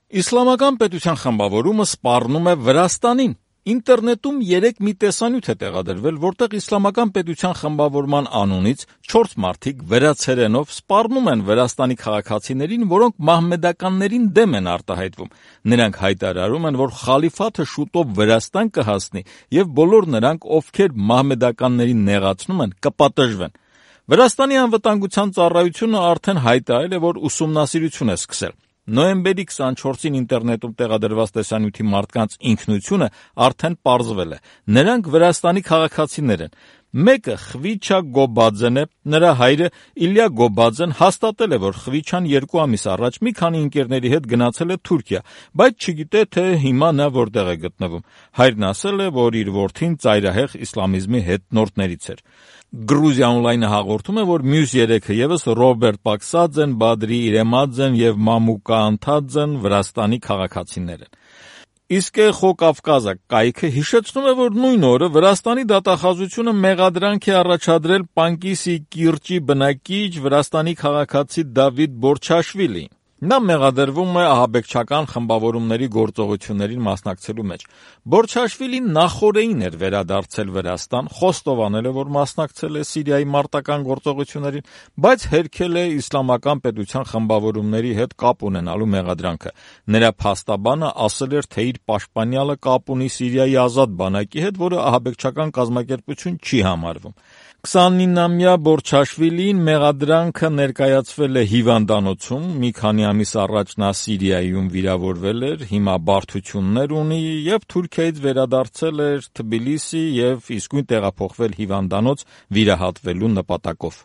Իսլամական պետության խմբավորումը սպառնում է Վրաստանին։ Ինտերնետում երեկ մի տեսանյութ է տեղադրվել, որտեղ իսլամական պետության խմբավորման անունից 4 մարդիկ վրացերենով սպառնում են Վրաստանի քաղաքացիներին, որոնք մահմեդականներին դեմ են արտահայտվում։ Նրանք հայտարարում են, որ խալիֆաթը շուտով Վրաստան կհասնի եւ բոլոր նրանք, ովքեր մահմեդականներին նեղացնում են, կպատժվեն։ Վրաստանի անվտանգության ծառայությունը արդեն հայտարարել է, որ ուսումնասիրություն է սկսել։ Նոյեմբերի 24-ին ինտերնետում տեղադրված տեսանյութի մարդկանց ինքնությունը արդեն պարզվել է։ Նրանք Վրաստանի քաղաքացիներ են։ Մեկը Խվիչա Գոբաձեն է, նրա հայրը Իլյա Գոբաձեն հաստատել է, որ Խվիչան 2 ամիս առաջ մի քանի ընկերների հետ գնացել է Թուրքիա, բայց չգիտե, թե հիմա նա որտեղ է գտնվում։ Հայրն ասել է, որ իր որդին ծայրահեղ իսլամիզմի հետնորդներից էր։ Գրուզիա օնլայնը հաղորդում է, որ մյուս 3-ը ևս Ռոբերտ Պաքսաձեն, Բադրի Իրեմաձեն եւ Մամուկա Անթաձեն Վրաստանի քաղաքացիներ են։ Իսկ Էխո Կավկազա կայքը հիշեցնում է, որ նույն օրը Վրաստանի դատախազությունը մեղադրանք է առաջադրել Պանկիսի կիրճի բնակիչ Վրաստանի քաղաքացի Դավիթ Բորչաշվիլիին։ Նա մեղադրվում է ահաբեկչական խմբավորումների գործողություններին մասնակցելու մեջ։ Բորչաշվիլին նախօրեին էր վերադարձել Վրաստան, խոստովանել է, որ մասնակցել է Սիրիայի մարտական գործողություններին, բայց հերքել է իսլամական պետության խմբավորումների հետ կապ ունենալու մեղադրանքը։ Նրա փաստաբանը ասել էր, թե իր պաշտպանյալը կապ ունի Սիրիայի ազատ բանակի հետ, որը ահաբեկչական կազմակերպություն չի համարվում։ 29-ամյա Բորչաշվիլին մեղադրանքը ներկայացվել է հիվանդանոցում, մի քանի ամիս առաջ նա Սիրիայում վիրավորվել էր, հիմա բարդություններ ունի եւ Թուրքիայից վերադարձել էր Թբիլիսի եւ իսկույն տեղափոխվել հիվանդանոց վիրահատվելու նպատակով։